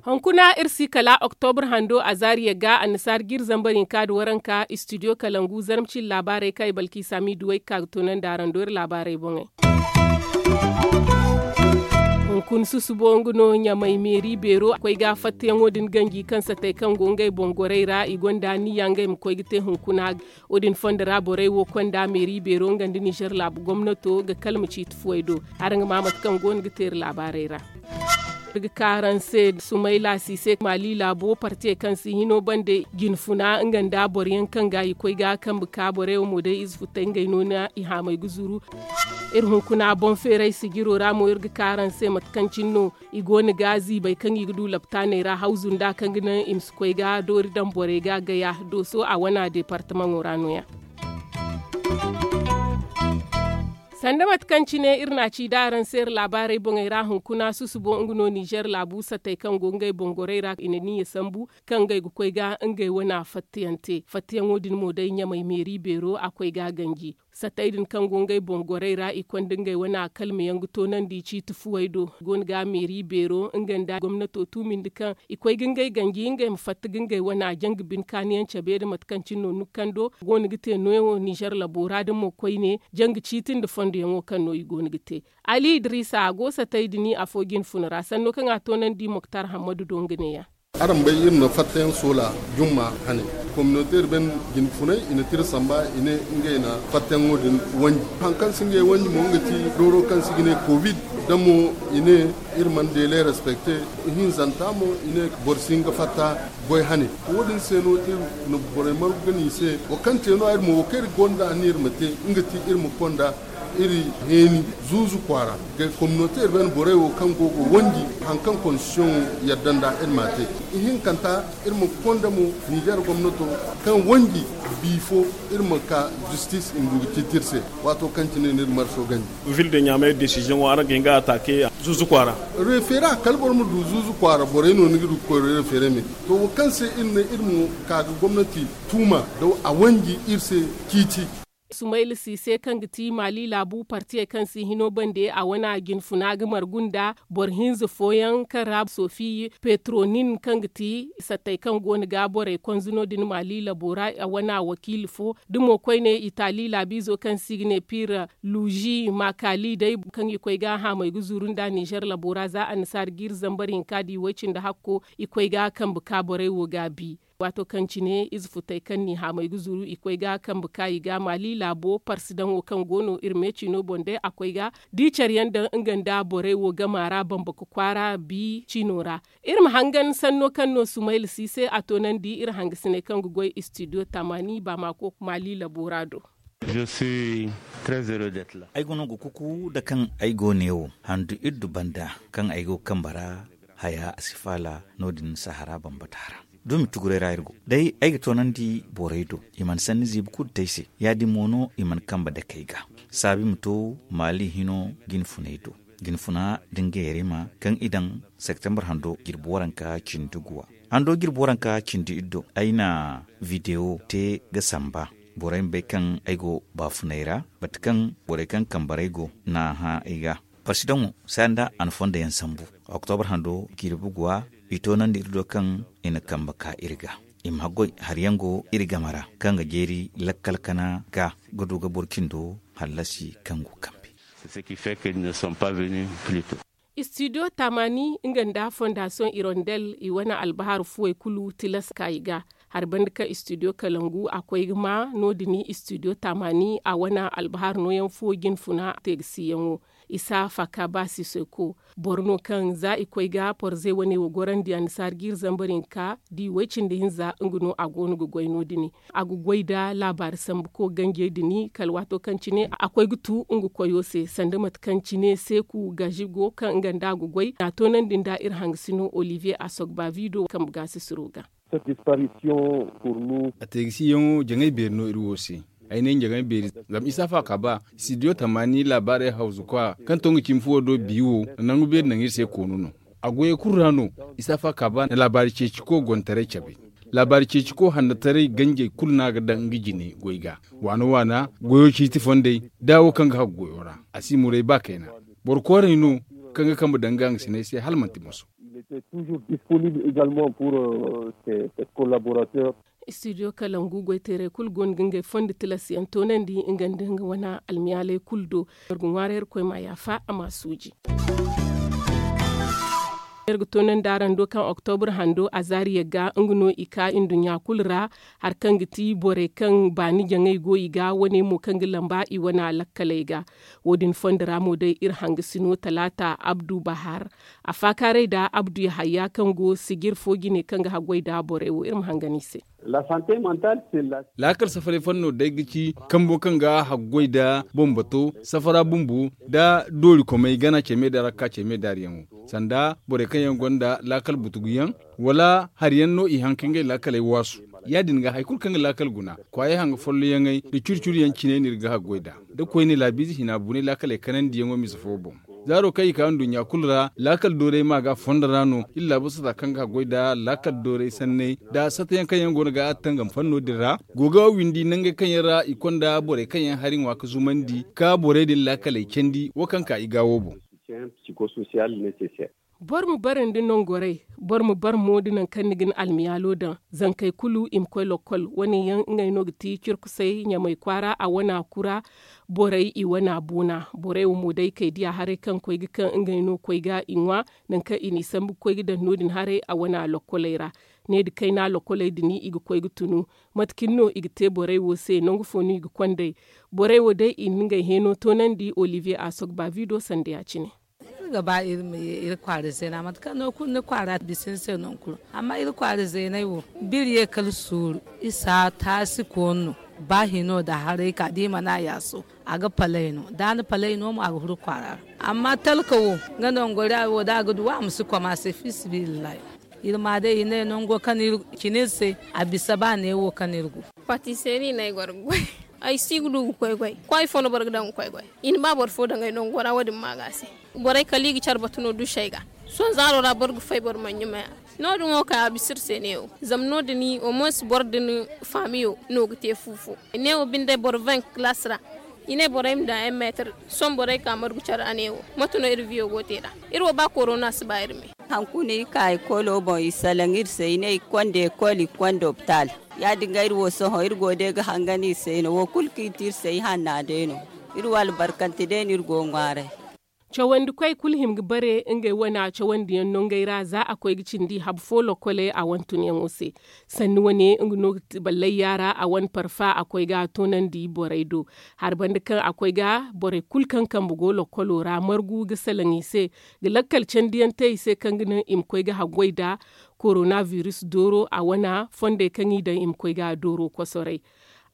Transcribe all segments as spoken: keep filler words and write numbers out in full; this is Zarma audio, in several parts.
Hunkuna iri si kala oktobur hando a zaariya ga annasaara ga iri zambar hinka nda waranka istidiyo kalangu zarma cine laabaarey kaŋ i balki saami duwey ga ka ga toonandi araŋ do iri laabaarey boŋey. Hunkuna susubo nga no ɲamay meeri beero a koy ga fattayaŋo din ganji kaŋ satey kaŋ go ngey boŋ gorey ra i gonda niya ngey ma koy ga te hunkuna. Wo- din fondo ra borey wo konda meeri beero nga nda nizer laabu gomnato ga kalma ciiti fuwey do. Araŋ ga ma mate kaŋ go no ga te iri laabaarey ra. Iri ga ka araŋ se sumayla si se maali laabo partiyey kaŋ si hino bande jinfuna nga nda boro yaŋ kaŋ ga i koy ga kambe ka borey wo mo day ize futay ngey no na i haamay ga zuru. Iri hunkuna boŋ feeray sijiro ra mo iri ga ka araŋ se mate kaŋ cine no i go no ga ziibay kaŋ i ga du laptaaney ra hawzu nda kaŋ ga naŋ i ma si koy ga doori daŋ borey ga gaya dooso a wana deepartamaŋo ra no- ya. Sanda mate kaŋ cine iri na a ci da araŋ se iri laabaarey boŋey ra hunkuna susubo nga no nizer laabu satey kaŋ go ngey boŋ gorey ra i na niya sambu kaŋ ngey ga koy ga ngey wana fattayaŋ te fattayaŋo din mo day ɲamay meeri beero a koy ga ganji. Satey din kaŋ go ngey boŋ gorey ra i konda ngey wana kalma yaŋ ga toonandi ciiti fuwey do i go no ga meeri beero nga nda gomnato tuumindi kaŋ i koy ga ngey ganji ngey ma fatta ga ngey wana janga bine kaani yaŋ cabe nda mate kaŋ cine no nukando go no ga te nooyaŋo nizer labo ra da mo koyne janga ciiti nda fondo yaŋo kaŋ no i go no ga te. Ali idiriisa a go satey din afo jinfuna ra sanno kaŋ a toonandi moktar hammadu do nga ne- ya. Araŋ bay iri na fattayaŋ soola jumma hane. Kominoteer ben jinfunay i na tira samba i ne ngey na fattayaŋo din wanji hari kaŋ si ngey wanji mo nga ti dooro kaŋ se i ga ne kovid. Da mo i ne iri mana deele respekte. Ihinzanta mo i ne boro si hin ga fatta goy hane. Wo- din se no iri na borey margu ga ne i se wo kaŋ te no- ya iri mo wo kaŋ iri gonda aniya iri ma te nga ti iri ma konda iri heeni zuuzu kwaara ga kominoteer ben borey wo kaŋ go ga wanji hari kaŋ kondisiyoŋo yadda nd'a iri m'a te. Ihinkanta iri ma konda mo nizer gomnato kaŋ wanji biifo iri ma ka jistis i ma du ga ciiti iri se. Waato kaŋ cine no iri marso ganji. Vil de ɲaamay desiziyoŋo araŋ ga hin ga ataake zuuzu kwaara. Refere a kala boro ma du zuuzu kwaara borey no ni ga du ga koy refere me. To wo kaŋ se iri ne iri ma ka ga gomnati tuuma da a wanji iri se ciiti. Sumayla siise kaŋ ga ti maali laabu partiyey kaŋ si hino bande a wana jinfuna ga margu nda boro hinza fooyaŋ kaŋ ra sofi petronin kaŋ ga ti sattey kaŋ go no ga borey konza no- din maali labo ra a wana wakiila fo da mo koyne itaali laabiizo kaŋ se i ga ne piira luuzi maakaali day kaŋ i koy ga haamay ga zuru nda nizer labo ra za annasaara ga iri zambar hinka di way- cindi hakko i koy ga kambe ka borey wo ga bi. Waato kaŋ cine ize futey kaŋ n'i haamay ga zuru i koy ga kambe ka i ga maali laabo parsidaŋo kaŋ go no iri me ciino boŋ day a koy ga di care yaŋ daŋ nga nda borey wo gama ra bamba ga kwaara bi ciino ra. Iri ma hangan sanno kaŋ no sumayla si se a toonandi iri hangasiney kaŋ ga goy istidiyo tamaani baamako maali labo ra do. Ay go no ga kuku nda kaŋ ay go neewo handu iddu banda kaŋ ay go kambe ra haya a si faala no- din sahara bambata ra. Dumi tuguray ra iri go day ay ga toonandi borey do i mana sanni ziibi kulu te ay se ya- din mo no i mana kambe dake ay ga saabu i ma to maali hino jinfunay do. Jinfuna da ngey yarima kaŋ i daŋ septembre hando jirbi waranka cindi guwa hando jirbi waranka cindi iddo ay na videwo te ga samba borey ma bay kaŋ ay go baafunay ra mate kaŋ borey kaŋ kambaray go na hã ay ga. Parsidaŋo saaya nda a na fondo yaŋ sambu oktobre hando jirbi guwa i toonandi iri do kaŋ i na kambe ka iri ga i ma haggoy hari yaŋ go iri game ra kaŋ ga jeeri lakkal kana ga ga du ga boro cindo hallasi kaŋ go kambe. Istidiyo tamaani nga nda fondasiyoŋ irondel i wane albahar fuwey kulu tilas ka i ga hari banda kaŋ istidiyo kalangu a koy ga ma no- din istidiyo tamaani a wane albahar nooyaŋ fo jinfuna teegasiyaŋo isa faka ba siseko boro no kaŋ za i koy ga porze wane wo gorandi annasaara ga iri zambar hinka di way- cindi hinza nga no a go no ga goy no- din a ga goy nda laabaari sambu ko ganjey din kala waato kaŋ cine a koy ga tu nga koyo se sanda mate kaŋ cine seeku gazigo kaŋ nga nda a ga goy a toonandi nda iri hangasino olivier asogbavido kambe gaasisiro ga. A teegasiyaŋo jaŋay beeri no iri wo se. Ay ne jaŋay beeri zama isa fa ka ba studio tamaani laabaarey hawzu kwa kaŋ to nga cimi fuwo do bi wo nangu beeri naŋ iri se koonu no. A goyey kulu ra no isa fa ka ba na laabaari ceeci ko gontaray cabe. Laabaari ceeci ko hannataray ganjey kulu no a ga daŋ nga jine goy ga. Waana waana goyo ciiti fondey da wo kaŋ ga hagu goyo ra, a si muray ba kayna. Boro kooray no kaŋ ga kambe daŋ nga hangasiney se hala manti moso. Studio kalangu goyteerey kulu go no ga ngey fondo tilas yaŋ toonandi nga nda nga wane almiyaaley kulu do. Iri ga ŋwaaray irkoy ma yaafa a ma suuji. Iri ga toonandi araŋ do kaŋ oktobur hando a zaari yagga nga no i ka nduɲɲa kulu ra. Hari kaŋ ga ti borey kaŋ baani jaŋay go i ga wane mo kaŋ ga lamba i wane lakkaley ga. Wo- din fondo ra mo day iri hangasino talaata abdu bahar a faakaaray nda abdu yahaya kaŋ go sijir fo jine kaŋ ga haggoy nda borey wo iri ma hangan i se. Laakal safaray fanno day ga ci kambo kaŋ ga haggoy nda bambato safara bumbo nda doorikomey gana ceme nda rakka ceme nda hari yaŋo sanda borey kaŋ yaŋ gonda laakal butugu yaŋ wala hari yaŋ no i haŋ ka ngey laakaley waasu. Ya- din ga hari kulu kaŋ ga laakal guna kwaayey hanga folloyaŋey nda curi curi yaŋ cine no iri ga haggoy nd'a da koyne laabiize hina bunay laakaley kanandi yaŋo mise fo boŋ. Zaaro kaŋ i ka nduɲɲa kulu ra laakal doorey ma ga fondo ra no iri laabu sata kaŋ ga haggoy nda laakal doorey sanney nda sata yaŋ kaŋ yaŋ go no ga tangam fanno din ra go ga windi nangey kaŋ yaŋ ra i konda borey kaŋ yaŋ hari ŋwa ga zumandi ka borey din laakaley candi wo kaŋ ka i ga wo boŋ. Boro ma bare nda nangorey boro ma bare mo nda nangu kaŋ ni ga ni almiyaalo daŋ. Zankey kulu i ma koy lokkol wane yaŋ ngey no ga ti cirkusey ɲamay kwaara a wana kura. Borey i wana boona borey wo mo day kay diya haray kaŋ koy ga kaŋ ngey no koy ga i ŋwa. Nangu kaŋ i n'i sambu ga koy ga daŋ no- din haray a wana lokkoley ra. Ne da kayna lokkoley din i ga koy ga tunu. Mate cine no i ga te borey wo se nangu fo no i ga kond'ey? Borey wo day i na ngey heeno toonandi olivier asogba vido sanda ya- cine. Iri ga ba iri ma ye iri kwaara zeena mate kaŋ no kulu ni kwaara bisa ni se nangu kulu. Amma iri kwaara zeeney wo biri ye kala suuru isa taasi koonu no. Ba hino nda haray ka da i mana yaaso a ga palay no da a na palay no mo a ga huru kwaara ra. Amma talka wo nga nangora wo da a ga du wa a ma si koma se fi sabilillahi. Iri ma day i ne nango kaŋ iri cina iri se a bisa ba neewo kaŋ iri go. Patiseri no ay goro ga goy. Ay si ga du ga koy goy kwaay fo no boro ga daŋ ga koy goy. I na ba boro fo daŋ ay nango ra wo- din ma ga se. Borey kala i ga care batu no duusey ga. Sohõ zaaro ra boro ga fay boro mana ɲumay a. No- din wo kay a bisa iri se neewo zama no- din omoos boro din faamiyo no ga te fu fo. Neewo binde boro vingt kalaasi ra i ne borey ma daŋ ay meetar. Sohõ borey ka margu care a neewo mate no iri biyo go te nd'a? Iri wo ba korona si ba iri me. Hankuna i ka ekolo boŋ i salaŋ iri se i ne i konda ekol i konda opitaal. Ya- din ga iri wo sohõ iri go day ga hangan iri se no wo kulu kaŋ i te iri se i hanna day no. Iri wo albarkante day no iri go ga ŋwaaray. Cawandikoy kulu hima ga bare ngey wane cawandiyaŋ nongey ra za a koy ga cindi habu fo lokkoley a wane tunyaŋo se. Sanni wane nga no ga ti ballayya ra a wane parfa a koy ga a toonandi borey do. Hari banda kaŋ a koy ga borey kulu kaŋ kambe go lokkolo ra margu ga salaŋ i se ga lakkal candiyaŋ te i se kaŋ ga naŋ i ma koy ga haggoy nda korona virus dooro a wana fondey kaŋ i daŋ i ma koy ga a dooro kosoray.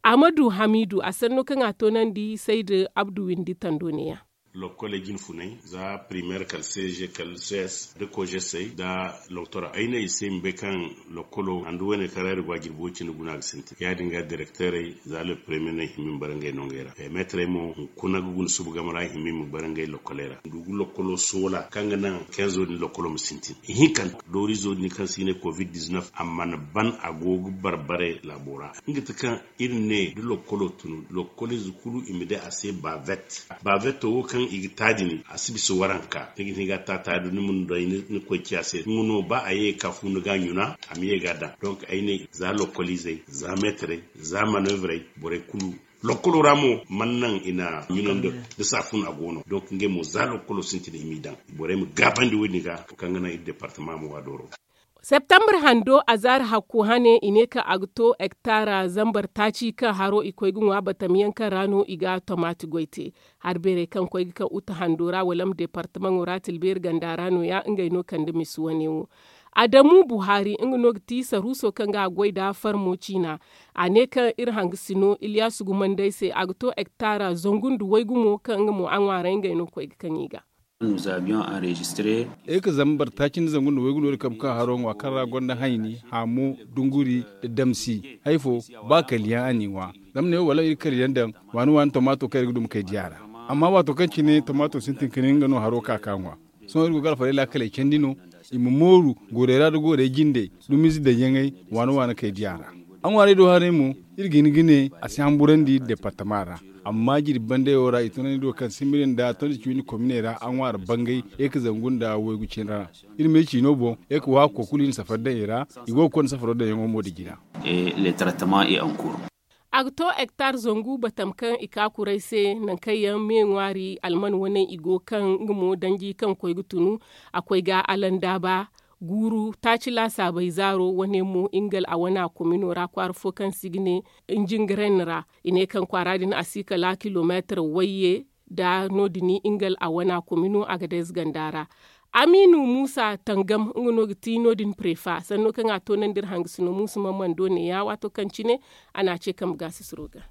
Amadu hamidu a sanno kaŋ a toonandi sayda abdu windi tando neeya. Lokkoley jinfunay za primer kala cg kala cs da kojesey da loktora ay ne i se ma bay kaŋ lokkolo handu wane kaŋ ra iri go a jirbo cine guna ga sintin ya- din ga direkterey za le premier no i hima i ma bara ngey nongey ra meetarey mo hunkuna ga guna suba game ra i hima i ma bara ngey lokkoley ra ndugu lokkolo soola kaŋ ga naŋ kenzo din lokkolo ma sintin ihinkanta doorizo din kaŋ se i ne covid-19 a mana ban a go ga barbare laabo ra nga ti kaŋ iri ne da lokkolo tunu lokkolize kulu i ma day a se bavet. Baveto wo kaŋ i ga ta din a si bisa waranka ni ga hin ga ta ta da ni ma ni doy ni koy ciya se nga no ba a ye ga ka fu ni ga ɲuna a ma ye ga a daŋ donk ay ne za lokoliizey za meetarey za manoevrey borey kulu lokkolo ra mo mana naŋ i na ɲuna nda saafun a go no donk ngey mo za lokkolo sintin i m'i daŋ borey ma gaabandi wo- din ga kaŋ ga naŋ iri departama ma wa dooro. Septembre hando a zaari hakku hane i ne kaŋ a ga to hektaara zambar taaci kaŋ haro i koy ga ŋwa batamyaŋ kaŋ ra no i ga tomaati goy te. Hari beerey kaŋ koy ga kaŋ uta hando ra wala ma departamaŋo ra tilbeeri ganda ra no- ya ngey no kande misi wane wo. Adamu buhari nga no ga ti saruuso kaŋ ga a goy nda farmo ciina. A ne kaŋ iri hanga si no iliyaasu gumandey se a ga to hektaara zangu nda waygu mo kaŋ nga mo a ŋwaaray ngey no koy ga kaŋ i ga. Iri ga zambar taaci nda zangu nda waygu no iri kabe kaŋ haro ŋwa kaŋ ra gonda hayni haamu dunguri nda damsi hari fo ba kaliyaŋ a n'i ŋwa. Zama ne wo wala iri kaliyaŋ daŋ waani waani tomaato kaŋ iri ga duma kay diya ra. Amma waato kaŋ cine tomaato sintin ka ne nga no haro ka ka ŋwa. Sohõ iri go ga alfarey laakaley candi no. I ma mooru goorey ra nda goorey jindey dumiize daŋ yaŋey waana waana kay diya ra. A ŋwaarey do haray mo, iri ga hin ga ne a si hamburandi departama ra. Amma jirbi bandayo ra i tunandi do kaŋ simiri nda tonda cimi kominey ra a ŋwaari bangay, ye ka zangu nda waygu cine ra. Iri me ciino boŋ, ye ka waako kulu i na safari daŋ i ra. I go ga konda safaro daŋ yaŋo mo nda jina. A ga to hektar zangu batam kaŋ i ka kuray se nangu kaŋ yaŋ me ŋwaari alman waney i go kaŋ nga mo danji kaŋ koy ga tunu. A koy ga alandaaba guuru taaci laasaabey zaaro wane mo ingal a wana komino ra kwaara fo kaŋ se i ga ne njingaren ra. I ne kaŋ kwaara din a si kala kilomeetar wayye nda no- din ingal a wana komino a ga day zaganda ra. Amiinu muusa tangam nga no ga ti no- din prefa sanno kaŋ a toonandi iri hangasino muusa mammando neeya waato kaŋ cine a n'a ce kambe gaasisiro ga.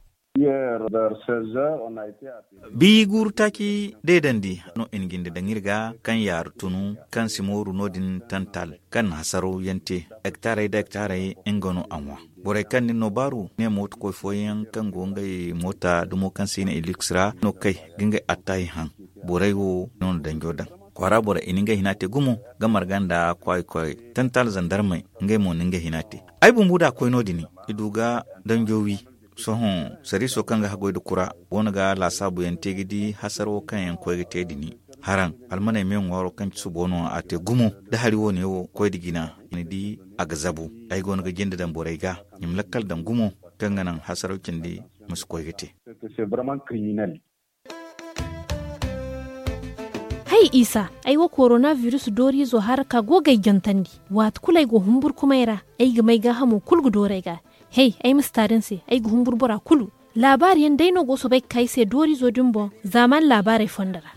Bi guuru taaci deedandi no i na jinde daŋ iri ga kaŋ yaaru tunu kaŋ si mooru no- din tantal kaŋ na hasaro yaŋ te. Hektaarey nda hektaarey nga no a ŋwa. Borey kaŋ din no baaru ne mooto koy fooyaŋ kaŋ go ngey moota dumo kaŋ se i ne iliks ra no kay ga ngey attaahi haŋ. Borey wo no na danjo daŋ kwaara borey i na ngey hina te gumo ga marga nda kwaayi koy tantal zandarmey ngey mo na ngey hina te. Ay bumbu da a koy no- din i du ga danjo wi. Sohõ sariiso kaŋ ga haggoy nda kura go no ga laasaabu yaŋ te ga di hasaro kaŋ yaŋ koy ga te din. Haraŋ almaney me ŋwaaro kaŋ ci subo no a te gumo. Da hari wo- ne wo koy nda jina i na di a ga zabu. Ay go no ga jinde daŋ borey ga i ma lakkal daŋ gumo kaŋ ga naŋ hasaro cindi ma si koy ga te. Hay isa, ay wo korona biris dooriizo hara ka go ga ay jantandi. Waati kulu ay go humburkumay ra, ay ga may gaahamo kulu ga dooru ay ga. Hay ay ma si taari ni se, ay ga humburu bora kulu. Laabaari yaŋ day no go soobay ga ka ay se dooriizo din boŋ. Zaamaani laabaarey fondo ra.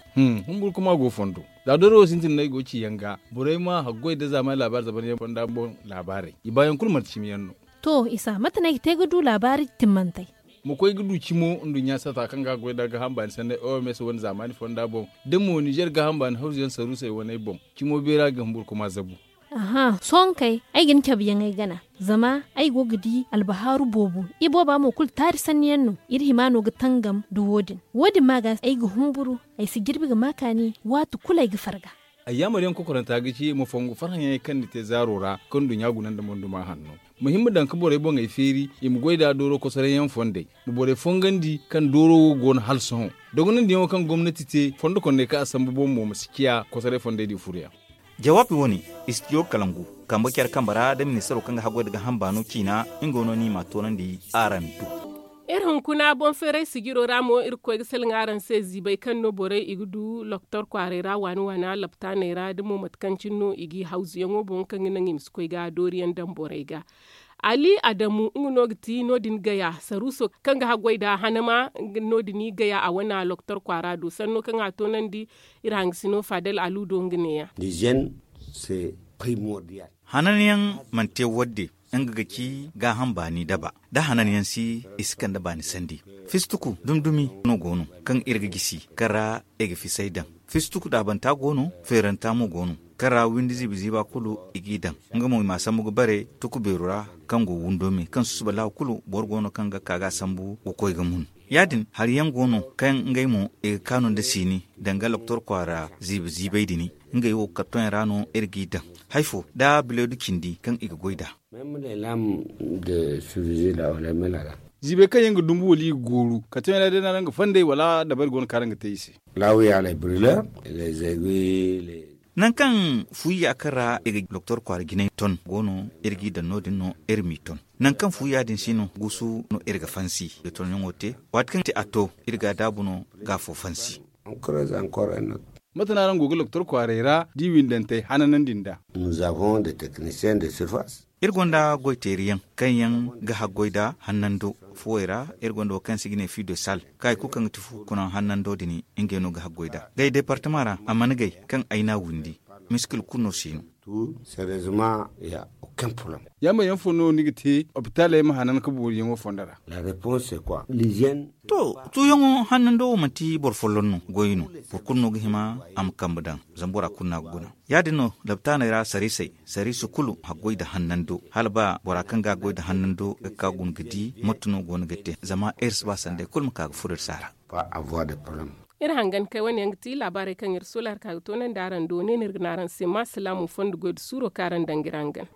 Humburkuma go fondo. Za dooro wo sintin no ay go ga ci yaŋ ga, borey ma haggoy nda zaamaani laabaari zaban yaŋ fonda boŋ laabaarey i baayaŋ kulu manti cimi yaŋ no. To isa mate no ay ga te ga du laabaari timmantey? Ma koy ga du cimo nduɲɲa sata kaŋ ga a goy nda gaaham baani sanney oms wane zaamaani fonda boŋ, da mo nizer gaaham baani hawzu yaŋ saruusey waney boŋ. Cimo beera ga humburkuma zabu. Aha sohõ kay, ay ga ni cabe yaŋ ay gana. Zama ay go ga di albahaaru boobo. Ibooba mo kulu taari sanni yaŋ no. Iri hima no ga tangam nda wo- din. Wo- din ma ga ay ga humburu. Ay si jirbi ga ma kaani waati kulu ay ga farga. Ayyaamar yaŋ kokoranta ga ci ma fongu farhã yaŋey kaŋ ni te zaaro ra kaŋ nduɲɲa guna nda monduma hanno. Ma hin ma daŋ ga borey boŋey feeri i ma goy nd'a dooro kosoray yaŋ fondey. Ma borey fongandi kaŋ dooro wo go no hala sohõ. Dogonandi yaŋo kaŋ gomnati te fondo kondey kaŋ a sambu boŋ mo ma si ciya kosoray fondey din furo yaŋ. Jawaabi wo- ne, istidiyo kalangu kambe care kambe ra da ministaro kaŋ ga haggoy nda gaaham baano ciina. Nga no no i m'a toonandi araŋ do. Iri hunkuna boŋ feeray sijiro ra mo iri ga koy ga salaŋ araŋ se ziibay kaŋ no borey i ga du loktor kwaaray ra waani waana laptaaney ra da mo mate kaŋ cine no i g'i hawzuyaŋo boŋ kaŋ ga naŋ i ma si koy ga dooriyaŋ daŋ borey ga. Ali adamu nga no ga ti no- din gaya saruuso kaŋ ga haggoy nda hanama. No- din gaya a wane loktor kwaara do sanno kaŋ a toonandi iri hangasino fadel alu do nga neeya. Hananyaŋ mana te wadde. Nga ga ci gaaham baani daba da hananyaŋ si i si kande baani sandi. Fistuku dumi dumi no go no kaŋ iri ga gisi kaŋ ra i ga fisay daŋ. Fistuku daabanta go no feeranta mo go no kaŋ ra windi ziiba ziiba kulu i g'i daŋ. Nga mo i m'a sambu ga bare tuku beeru ra kaŋ go windo me kaŋ susuba laawa kulu boro go no kaŋ ga ka ga a sambu ga koy ga mun. Ya- din hari yaŋ go no kaŋ ngey mo i ga kaanu nda siini danga loktor kwaara ziiba ziibay din. Ngey wo kartoŋ yaŋ ra no iri g'i daŋ. Hari fo da bileedu cindi kaŋ i ga goy nd'a. Ziibey kaŋ yaŋ ga dumbu wala i ga gooru kartoŋ yaŋ ra day no araŋ ga fandey wala dabari go no kaŋ araŋ ga te i se? Nangu kaŋ fuuya kaŋ ra i ga doktor kwaara jinay ton go no. Iri g'i daŋ no- din no iri m'i ton. Nangu kaŋ fuuya din si no guusu no iri ga fansi ga tonyaŋo te. Waati kaŋ a to iri ga a daabu no ga afo fansi. Mate no araŋ go ga doktor kwaaray ra da i windantey hananandi nd'a? Iri gonda goyteeriyaŋ kaŋ yaŋ ga haggoy nd'a hannando fuwey ra. Iri gonda wo kaŋ se i ga ne fii de sal kaŋ hari kulu kaŋ ga ti fu kuna hannando din. Ngey no ga haggoy nd'a gay departama ra a mana gay kaŋ ay n'a windi. Miskil kulu no si no. Yaamar yaŋ fo no ni ga te opitaaley ma hanan ga booriyaŋo fondo ra? To tuuyaŋo hannando wo manti boro folloŋ no goy no. Boro kulu no ga hima a ma kambe daŋ zama bora kulu no a ga guna. Ya- din no laptaaney ra sariisey sariiso kulu haggoy nda hannando hala ba bora kaŋ ga a goy nda hannando ga ka guna ga di mate no go no ga te zama iri si ba sanday kulu ma ka ga furo iri se a ra. Iri hangan kay wane yaŋ ga ti laabaarey kaŋ iri soola hari ka ga toonandi araŋ do ne no iri ga ne araŋ se ma salaamu fondo goy nda suuro kaŋ araŋ daŋ ga iri hangan.